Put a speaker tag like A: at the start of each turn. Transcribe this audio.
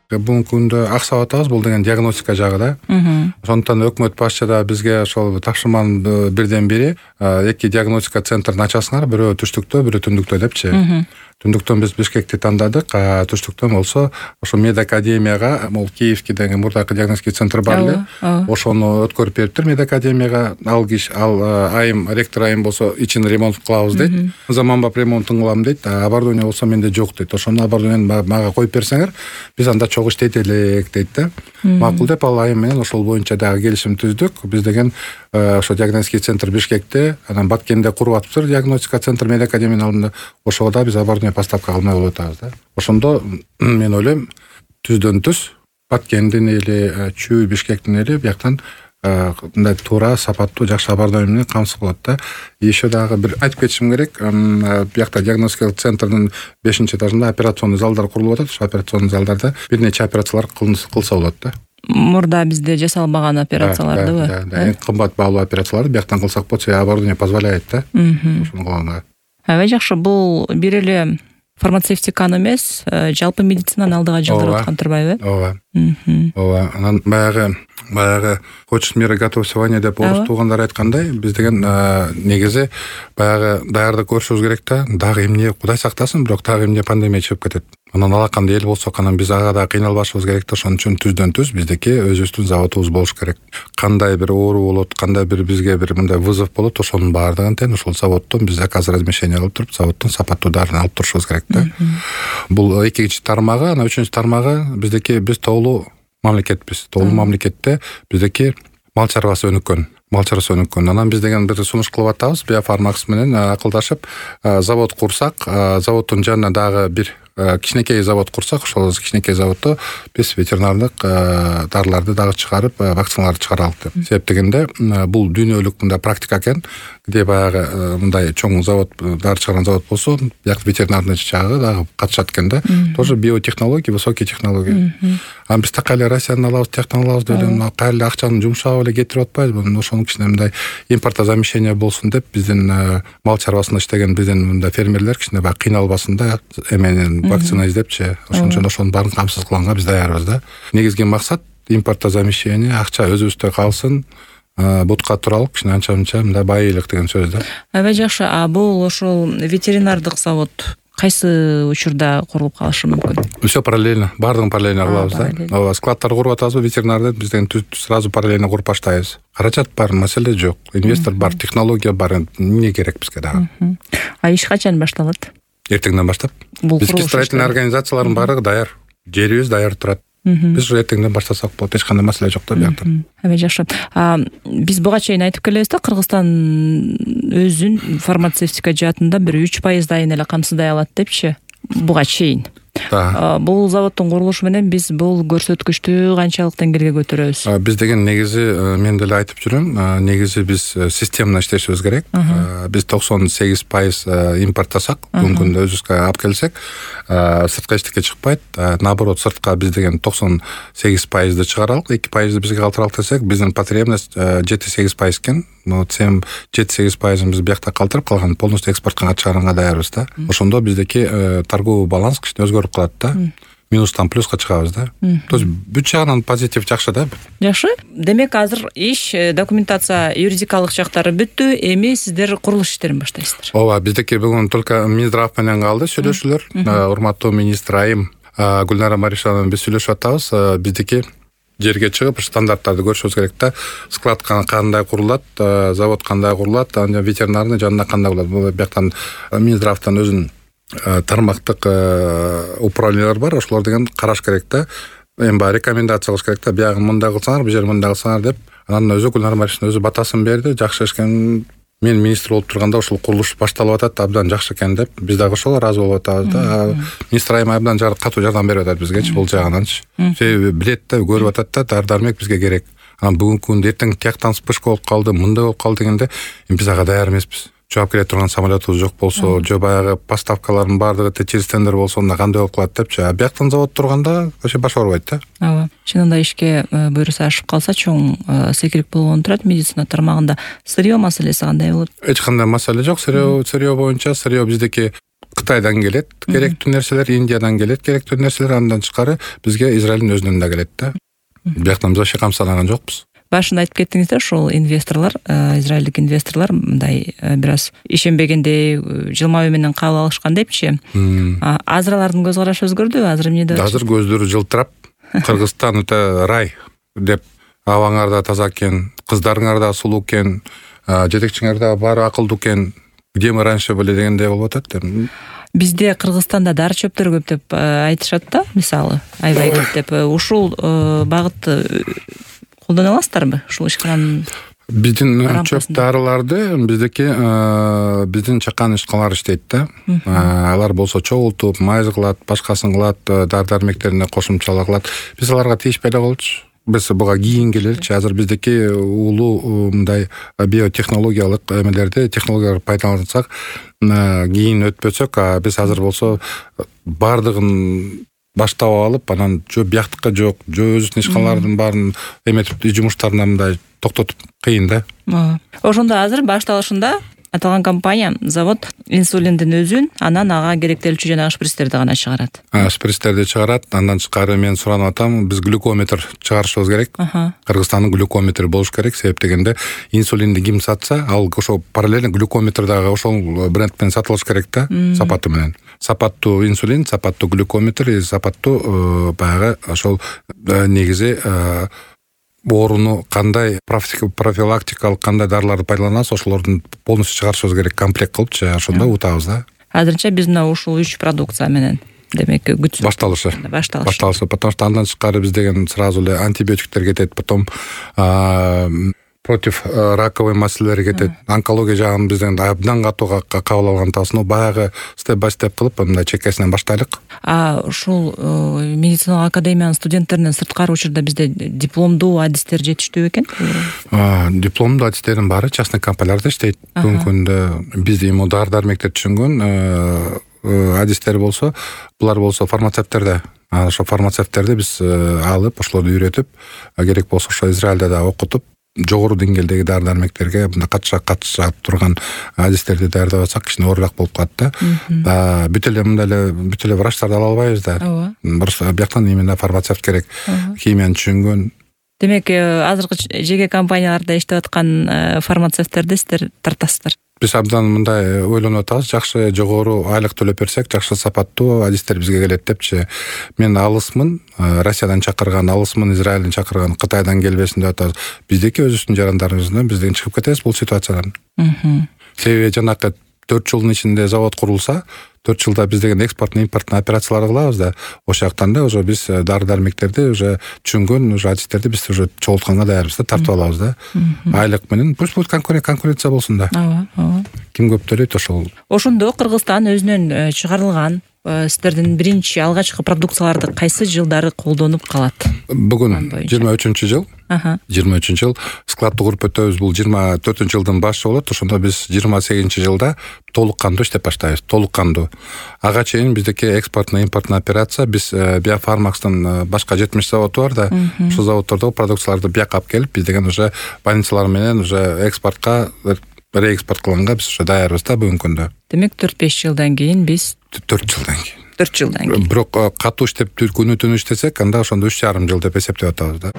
A: Бүгүнкү күндө аксап атабыз, бул деген диагностика жагы да. Ошондуктан өкмөт башчы да бизге ошол тапшырманын бирден бири эки диагностика центрин ачасыңар, бирөө түштүктө, бирөө түндүктө депчи. Түндүктөн биз Бишкекти тандадык, түштүктөн болсо ошо медакадемияга, могу Киевский деген мурдакы диагностика центр бар эле. Ошону өткөрүп бериптир медакадемияга. Айым ректор айым болсо ичин ремонт кылабыз дейт. Заманбап ремонтун кылам дейт. Оборудование болсо менде жок дейт. Ошону оборудованияны мага коюп берсеңер, биз анда чогуу иштейт элек дейт да. Макул деп ал айым менен ошол боюнча дагы келишим түздүк. Биз деген ошо диагностика центр Бишкекте, анан Баткенде куруп атыптыр диагностика центр медакадемиянын алдында. Ошого да биз оборудование поставка кылмай болуп атабыз да. Ошондо мен ойлойм, түздөн түз Баткендин эли, Чүй, Бишкектин эли бияктан мындай туура, сапаттуу, жакшы оборудование менен камсыз кылат да. Еще дагы бир айтып кетишим керек. Биякта диагностика центрдин 5-этажында операционный залдар курулуп атат. Ошо операционный залдарда бир нече операциялар кылса болот да.
B: Мурда бизде жасалбаган операциялардыбы?
A: Да, эң кымбат баалуу операцияларды бияктан кылсак болот, оборудование позволяет да. Ошону кылганга.
B: Аябай жакшы. Бул бир эле фармацевтиканы эмес, жалпы медицинаны алдыга жылдырып аткан турбайбы?
A: Ооба. Анан баягы хочешь мира готовься войне деп орус туугандар айткандай, биз деген негизи баягы даярдык көрүшүбүз керек да. Дагы эмне, Кудай сактасын, бирок дагы эмне пандемия чыгып кетет. Анан алакандай эл болсок, анан биз ага да кыйналбашыбыз керек да. Ошон үчүн түздөн түз биздики өзүбүздүн заводубуз болуш керек. Кандай бир оору болот, кандай бизге бир мындай вызов болот, ошонун баардыгын тең ошол заводдон биз заказ размещение кылып туруп, заводдон сапаттуу дарыны алып турушубуз керек да. Бул экинчи тармагы, анан үчүнчү тармагы биздики биз тоолуу мамлекетпиз. Тоолуу мамлекетте биздики мал чарбасы өнүккөн. Анан биз деген бир сунуш кылып атабыз, Биофармакс менен акылдашып, завод курсак, заводдун жанына дагы бир кичинекей завод курсак, ошол кичинекей заводдо биз ветеринардык дарыларды дагы чыгарып, вакциналарды чыгаралык деп. Себеп дегенде бул дүйнөлүк мындай практика экен. Где баягы мындай чоң завод, дары чыгарган завод болсо, бияк ветеринарный жагы дагы катышат экен да. Тоже биотехнология, высокие технологии. А биз такайле Россияны алабыз, тияктан алабыз деп эле кайрылы акчаны жумшап эле кетирип атпайбызбы? Ошону кичине мындай импортозамещение болсун деп биздин мал чарбасында иштеген биздин мындай фермерлер кичине баягы кыйналбасын да, эменин вакцина издепчи. Ошон үчүн ошонун баарын камсыз кылганга биз даярбыз да. Негизги максат импортозамещение, акча өзүбүздө калсын, бутка туралык, кичине анча-мынча мындай байыйлык деген сөз да.
B: Аябай жакшы. Бул ошол ветеринардык завод кайсы учурда курулуп калышы мүмкүн?
A: Все параллельно, баардыгын параллельно кылабыз да. Ооба, складтар куруп атабызбы, ветеринарды биз деген сразу параллельно куруп баштайбыз. Каражат бар, маселе жок. Инвестор бар, технология бар, эмне керек бизге дагы.
B: Иш качан башталат?
A: Эртеңден баштап. Бизги строительный организациялардын баардыгы даяр. Жерибиз даяр турат. Биз уже эртеңден баштасак болот, эч кандай маселе жок да биякта.
B: Аябай жакшы. Биз буга чейин айтып келебиз да, Кыргызстан өзүн фармацевтика жаатында бир 3% эле камсыздай алат депчи. Буга чейин. Бул заводдун курулушу менен биз бул көрсөткүчтү канчалык деңгээлге көтөрөбүз? Биз деген негизи,
A: мен деле айтып жүрөм, негизи биз системно иштешибиз керек. Биз 98% импорттасак, бүгүнкү күндө өзүбүзгө алып келсек, сырткы эчтеке чыкпайт. Наоборот, сыртка биз деген 98%ды чыгаралык, 2%ды бизге калтыралык десек, биздин потребность 7-8% экен. 7-8% биз биякта калтырып, калган полностью экспортко чыгарганга даярбыз да. Ошондо биздики торговый баланс кичине өзгөрүп калат да. Минустан плюска чыгабыз да. То есть бүт жагынан позитив жакшы да.
B: Жакшы. Демек азыр иш, документация, юридикалык жактары бүттү, эми сиздер курулуш иштерин баштайсыздар.
A: Ооба, биздики бүгүн только Минздрав менен калды сүйлөшүүлөр. Урматтуу министр айым Гүлнара Маришова менен биз сүйлөшүп атабыз. Биздики жерге чыгып стандарттарды көрүшүбүз керек да. Склад кандай курулат, завод кандай курулат, ветеринарный жанында кандай курулат. Бул бияктан Минздравтан өзүнүн тармактык управлениялар бар, ошолор деген караш керек да. Эми баягы рекомендация кылыш керек да. Биягы мындай кылсаңар, бу жер мындай кылсаңар деп. Анан өзү Гүлнара Маришова өзү батасын берди. Жакшы экен. Мен министр болуп турганда ошол курулуш башталып атат, абдан жакшы экен деп. Биз дагы ошого ыраазы болуп атабыз да. Министр айым абдан катуу жардам берип атат бизгечи бул жагынанчы. Себеби билет да, көрүп атат да, дары-дармек бизге керек. Анан бүгүнкү күндө эртең тияктан вспышка болуп калды, мындай болуп калды дегенде, биз ага даяр эмеспиз. Жооп келе турган самолетубуз жок болсо, же баягы поставкалардын баардыгы через тендер болсо, анда кандай болуп калат депчи. Бияктан завод турганда вообще баш оорубайт да.
B: Ооба. Чынында ишке буйруса ашып калса, чоң секирик болгон турат медицина тармагында. Сырьё маселеси кандай болот?
A: Эч кандай маселе жок. Сырьё боюнча, сырьё биздики Кытайдан келет керектүү нерселер, Индиядан келет керектүү нерселер, андан тышкары бизге Израилдин өзүнөн да келет да. Бияктан биз вообще камсызданган жокпуз.
B: Башында айтып кеттиңиз да, ушул инвесторлор, израилдик инвесторлор мындай бир аз ишенбегендей, жылмаюу менен кабыл алышкан депчи. Азыр алардын көз карашы өзгөрдүбү? Азыр эмне деп?
A: Азыр көздөрү жылтырап, Кыргызстан өтө рай деп, абаңар да таза экен, кыздарыңар да сулуу экен, жетекчиңер да баары акылдуу экен, где мы раньше были дегендей болуп атат.
B: Бизде Кыргызстанда дары чөптөр көп деп айтышат да, мисалы, аябай көп деп. Ушул багытты колдоно аласыздарбы? Ушул ишкананын
A: биздин чөп дарыларды биздин чакан ишканалар иштейт да. Алар болсо чогултуп, майз кылат, башкасын кылат, дары-дармектерине кошумчалаа кылат. Биз аларга тийишпей эле болчу. Biz буга кийин келеличи. Азыр биздики улуу мындай биотехнологиялык эмелерди, технологияларды пайдалансак, кийин өтпөсөк, биз азыр болсо баардыгын баштап алып, анан жөө бияктыкка жок, жөө өзүнүн ишканалардын баарын эметип, жумуштарына мындай токтотуп кыйын да.
B: Ошондо азыр башталышында аталган компания, завод инсулиндин өзүн, анан ага керектелүүчү жана шприцтерди гана чыгарат.
A: Шприцтерди чыгарат, андан тышкары мен суранып атам, биз глюкометр чыгарышыбыз керек. Кыргызстандын глюкометри болуш керек, себеп дегенде инсулинди ким сатса, ал ошо параллельно глюкометр дагы ошол бренд менен сатылыш керек да, сапаты менен. Сапаттуу инсулин, сапаттуу глюкометр, сапаттуу баягы ошол негизи орunu кандай профилактикалык кандай дарыларды пайдаланабыз, ошолордун полностью чыгарышыбыз керек, комплект кылыпчы, ошондо утабыз да.
B: Азырынча биз мына ушул 3 продукция менен демек күтүп
A: башталышы. Потому что андан тышкары биз деген сразу эле антибиотиктер кетет, потом против раковый маселелер кетет. Онкология жагын бизден абдан катуу кабыл алган тасын, баягы степ-бай-степ кылып мындай чекесинен баштайлык.
B: Ушул медициналык академиянын студенттеринен сырткары учурда бизде дипломдуу адистер жетиштүү экен?
A: Дипломдуу адистердин баары частный компанияларда иштейт. Бүгүнкү күндө бизде эми дары-дармектер түшүнгөн адистер болсо, булар болсо фармацевттерде. Ошо фармацевттерди биз алып, ошолорду үйрөтүп, керек болсо ошо Израилде да окутуп, жогору деңгээлдеги дары-дармектерге катышат турган адистерди даярдап атсак, кичине оорураак болуп калат да. Бүт эле врачтарды ала албайбыз да. Бияктан именно фармацевт керек, химияны түшүнгөн.
B: Демек, азыркы жеке компанияларда иштеп аткан фармацевттерди сиздер тартасыздар?
A: Биз абдан мындай ойлонуп атабыз, жакшы жогору айлык төлөп берсек, жакшы сапаттуу адистер бизге келет депчи. Мен алысмын, Россиядан чакырган, алысмын, Израилден чакырган, Кытайдан келбесин деп атабыз. Биздики өзүбүздүн жарандарыбыздан бизден чыгып кетебиз бул ситуациядан. Себеби жанакы 4 жылдын ичинде завод курулса, 4 жылда биз деген экспорттун импорттун операцияларды кылабыз да. Ошол жактан да уже биз дары-дармектерди уже түшүнгөн уже адистерди биз уже чогултканга даярбыз да, тартып алабыз да. Айлык менен пусть будет конкуренция болсун да. Ким көп төлөйт ошол.
B: Ошондо Кыргызстан өзүнөн чыгарылган сиздердин биринчи алгачкы продукцияларды кайсы жылдары колдонуп калат?
A: Бүгүн 23-жыл. 23-жыл складты куруп өтөбүз. Бул 24-жылдын башы болот. Ошондо биз 28-жылда толук кандуу иштеп баштайбыз. Толук кандуу. Ага чейин биздики экспортно импортно операция, биз Биофармакстын башка 70 заводу бар да. Ошол заводдордогу продукцияларды бияка алып келип, биз деген уже больницалар менен уже экспортко реэкспорт кылганга биз уже даярбыз да бүгүнкү күндө.
B: Демек 4-5 жылдан кийин биз
A: 4 жылдан кийин.
B: 4 жылдан кийин.
A: Бирок катуу иштеп күнү-түнү иштесек, анда ошондо 3,5 жыл деп эсептеп атабыз да.